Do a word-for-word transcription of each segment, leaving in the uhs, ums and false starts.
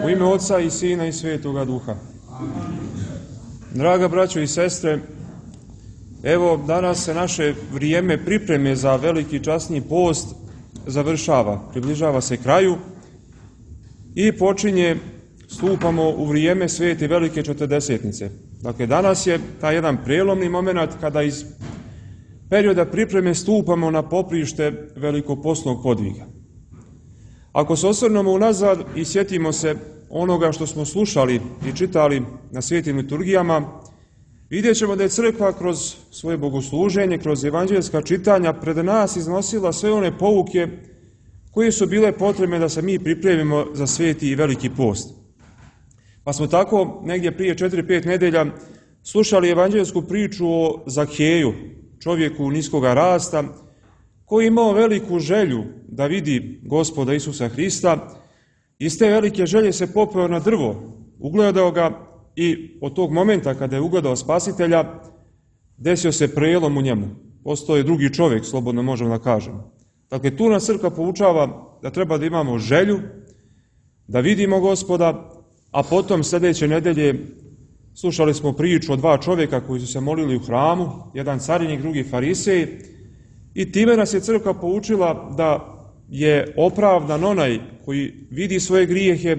U ime Oca i Sina i Svetoga Duha. Draga braćo i sestre, evo danas se naše vrijeme pripreme za veliki časni post završava, približava se kraju i počinje, stupamo u vrijeme Svete Velike Četrdesetnice. Dakle, danas je taj jedan prelomni moment kada iz perioda pripreme stupamo na poprište velikopostnog podviga. Ako se osvrnemo unazad i sjetimo se onoga što smo slušali i čitali na svetim liturgijama, vidjet ćemo da je crkva kroz svoje bogosluženje, kroz evanđeljska čitanja pred nas iznosila sve one pouke koje su bile potrebne da se mi pripremimo za sveti i veliki post. Pa smo tako negdje prije četiri pet nedelja slušali evanđeljsku priču o Zakeju, čovjeku niskoga rasta, koji je imao veliku želju da vidi Gospoda Isusa Hrista. Iz te velike želje se popeo na drvo, ugledao ga i od tog momenta kada je ugledao Spasitelja, desio se prelom u njemu. Postao je drugi čovjek, slobodno možemo da kažemo. Dakle, tu nas crkva poučava da treba da imamo želju, da vidimo Gospoda, a potom sljedeće nedelje slušali smo priču o dva čovjeka koji su se molili u hramu, jedan carinik, drugi farisej, i time nas je crkva poučila da je opravdan onaj koji vidi svoje grijehe,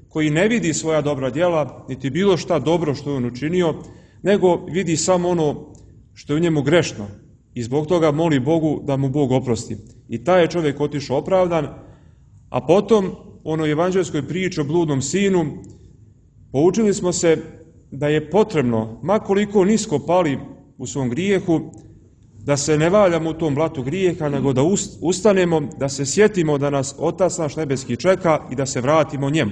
koji ne vidi svoja dobra djela, niti bilo šta dobro što je on učinio, nego vidi samo ono što je u njemu grešno i zbog toga moli Bogu da mu Bog oprosti. I taj je čovjek otišao opravdan, a potom u onoj evanđeljskoj priči o bludnom sinu poučili smo se da je potrebno, ma koliko nisko pali u svom grijehu, da se ne valjamo u tom blatu grijeha, nego da ustanemo, da se sjetimo da nas Otac naš nebeski čeka i da se vratimo njemu.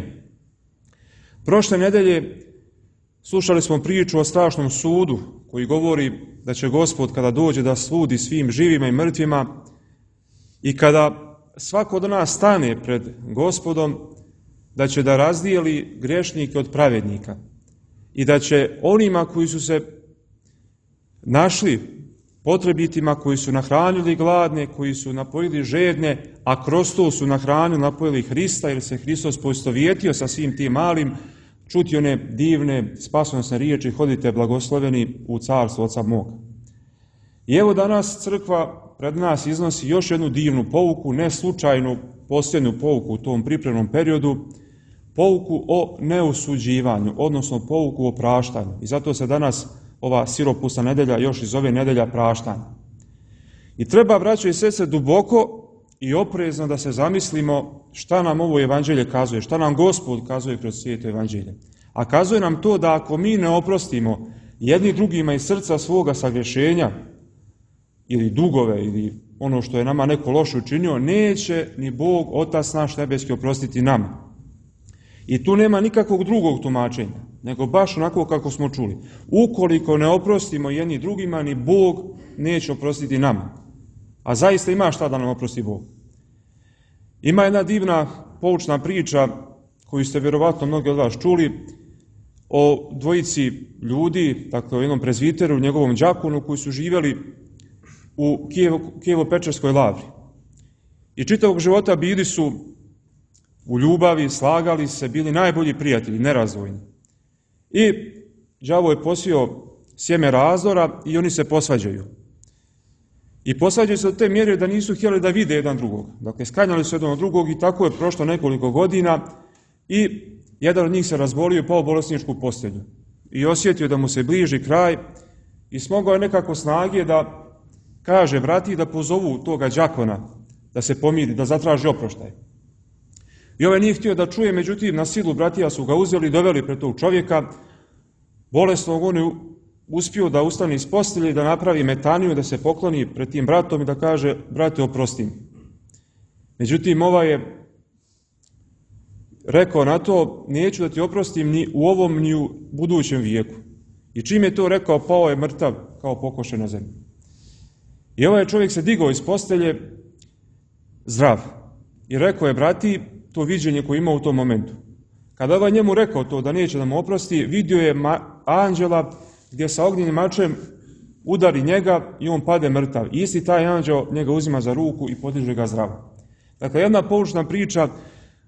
Prošle nedelje slušali smo priču o strašnom sudu koji govori da će Gospod kada dođe da sudi svim živima i mrtvima i kada svako od nas stane pred Gospodom, da će da razdijeli grešnike od pravednika i da će onima koji su se našli potrebitima, koji su nahranili gladne, koji su napojili žedne, a kroz to su nahranili, napojili Hrista, jer se Hristos poistovjetio sa svim tim malim, čuti one divne spasonosne riječi: hodite blagosloveni u carstvo Oca moga. I evo danas crkva pred nas iznosi još jednu divnu pouku, ne slučajnu posljednju pouku u tom pripremnom periodu, pouku o neosuđivanju, odnosno pouku o praštanju. I zato se danas ova siropusna nedelja još iz ove nedelja praštanja. I treba, braćo i sestre, duboko i oprezno da se zamislimo šta nam ovo evanđelje kazuje, šta nam Gospod kazuje kroz svijeto evanđelje. A kazuje nam to da ako mi ne oprostimo jedni drugima iz srca svoga sagrešenja ili dugove ili ono što je nama neko loše učinio, neće ni Bog, Otac naš nebeski, oprostiti nama. I tu nema nikakvog drugog tumačenja, nego baš onako kako smo čuli. Ukoliko ne oprostimo jedni drugima, ni Bog neće oprostiti nama. A zaista ima šta da nam oprosti Bog. Ima jedna divna poučna priča koju ste vjerovatno mnogi od vas čuli o dvojici ljudi, dakle o jednom prezviteru, njegovom đakonu, koji su živjeli u Kijevo, Kijevo-Pečerskoj lavri. I čitavog života bili su u ljubavi, slagali se, bili najbolji prijatelji, nerazdvojni. I đavo je posio sjeme razdora i oni se posvađaju. I posvađaju se do te mjere da nisu htjeli da vide jedan drugog. Dakle, sklanjali su jedan od drugog i tako je prošlo nekoliko godina i jedan od njih se razbolio i pao u bolesničku postelju. I osjetio da mu se bliži kraj i smogao je nekako snage da kaže vrati da pozovu toga đakona, da se pomiri, da zatraži oproštaj. I ovaj nije htio da čuje, međutim, na silu bratija su ga uzeli i doveli pred tog čovjeka. Bolesnog on je uspio da ustane iz postelje i da napravi metaniju, da se pokloni pred tim bratom i da kaže: brate, oprosti mi. Međutim, ovaj je rekao na to: neću da ti oprostim ni u ovom ni u budućem vijeku. I čim je to rekao, pao je mrtav kao pokošen na zemlju. I ovaj čovjek se digao iz postelje zdrav i rekao je brati to viđenje koje ima u tom momentu. Kada ovaj njemu rekao to da neće da mu oprosti, vidio je anđela gdje sa ognjenim mačem udari njega i on pade mrtav. Isti taj anđeo njega uzima za ruku i podiže ga zdravo. Dakle, jedna poučna priča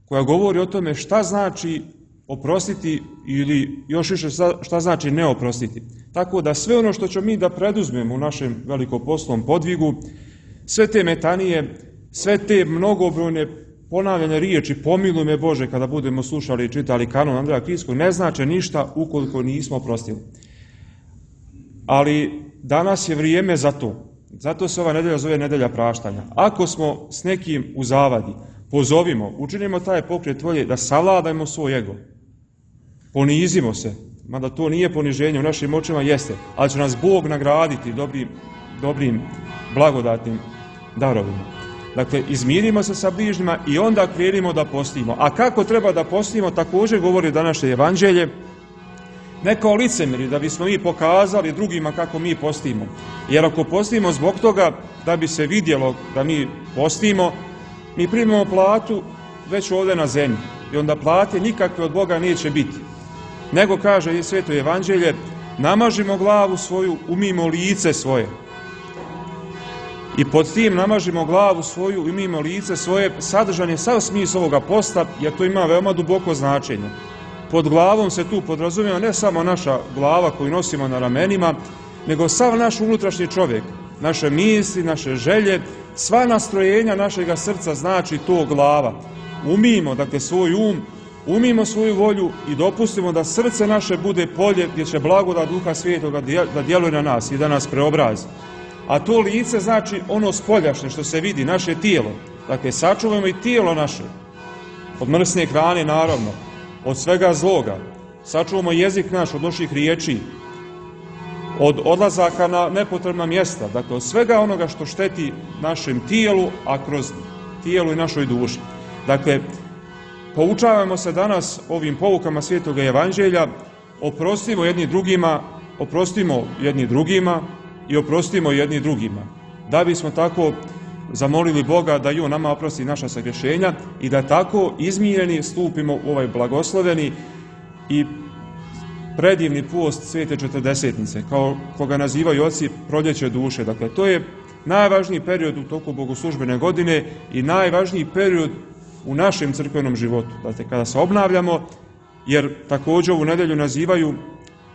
koja govori o tome šta znači oprostiti ili još više šta znači ne oprostiti. Tako da sve ono što ćemo mi da preduzmemo u našem velikoposlovnom podvigu, sve te metanije, sve te mnogobrojne ponavljane riječi pomiluj me Bože kada budemo slušali i čitali kanon Andreja Krijskog, ne znači ništa ukoliko nismo oprostili. Ali danas je vrijeme za to. Zato se ova nedelja zove nedelja praštanja. Ako smo s nekim u zavadi, pozovimo, učinimo taj pokret volje da savladajmo svoj ego. Ponizimo se, mada to nije poniženje, u našim očima jeste, ali će nas Bog nagraditi dobrim, dobrim blagodatnim darovima. Dakle, izmirimo se sa bližnjima i onda krenimo da postimo. A kako treba da postimo, također govori današnje evanđelje, ne kao licemjeri, da bismo mi pokazali drugima kako mi postimo. Jer ako postimo zbog toga da bi se vidjelo da mi postimo, mi primimo platu već ovdje na zemlji. I onda plate nikakve od Boga neće biti. Nego, kaže Sveto evanđelje, namažimo glavu svoju, umijmo lice svoje. I pod tim namažimo glavu svoju, umijmo lice svoje, sadržan je sav smisao ovoga posta, jer to ima veoma duboko značenje. Pod glavom se tu podrazumijeva ne samo naša glava koju nosimo na ramenima, nego sav naš unutrašnji čovjek, naše misli, naše želje, sva nastrojenja našega srca znači to glava. Umijmo, dakle, svoj um, umijmo svoju volju i dopustimo da srce naše bude polje gdje će blagodat Duha Svetoga da djeluje na nas i da nas preobrazi. A to lice znači ono spoljašnje što se vidi, naše tijelo. Dakle, sačuvajmo i tijelo naše. Od mrsne hrane, naravno. Od svega zloga. Sačuvamo jezik naš od loših riječi. Od odlazaka na nepotrebna mjesta. Dakle, od svega onoga što šteti našem tijelu, a kroz tijelu i našoj duši. Dakle, poučavamo se danas ovim poukama Svetoga evanđelja, oprostimo jedni drugima, oprostimo jedni drugima i oprostimo jedni drugima. Da bismo tako zamolili Boga da i On nama oprosti naša sagrešenja i da tako izmireni stupimo u ovaj blagosloveni i predivni post Svete četrdesetnice, kao koga nazivaju oci proljeće duše. Dakle, to je najvažniji period u toku bogoslužbene godine i najvažniji period u našem crkvenom životu. Dakle, kada se obnavljamo, jer također ovu nedelju nazivaju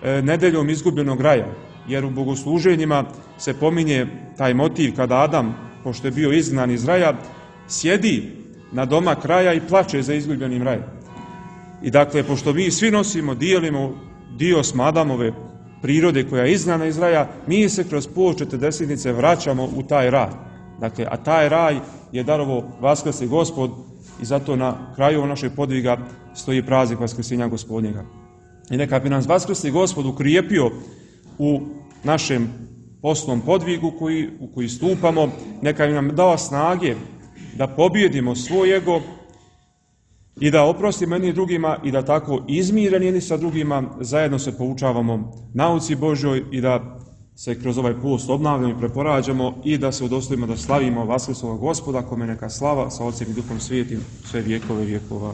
e, nedeljom izgubljenog raja, jer u bogosluženjima se pominje taj motiv kada Adam, pošto je bio izgnan iz raja, sjedi na domak raja i plače za izgubljenim rajem. I dakle, pošto mi svi nosimo, dijelimo dio s Adamove prirode koja je izgnana iz raja, mi se kroz post četrdesetnice vraćamo u taj raj. Dakle, a taj raj je darovo Vaskrsli Gospod i zato na kraju našeg podviga stoji praznik Vaskrsenja Gospodnjega. I neka bi nas Vaskrsli Gospod ukrijepio u našem postnom podvigu koji, u koji stupamo, neka bi nam dao snage da pobjedimo svoj ego i da oprostimo jedni drugima i da tako izmireni jedni sa drugima zajedno se poučavamo nauci Božjoj i da se kroz ovaj post obnavljamo i preporađamo i da se udostojimo da slavimo Vaskrslog Gospoda, kome neka slava sa Otcem i Duhom Svetim sve vjekove vjekova.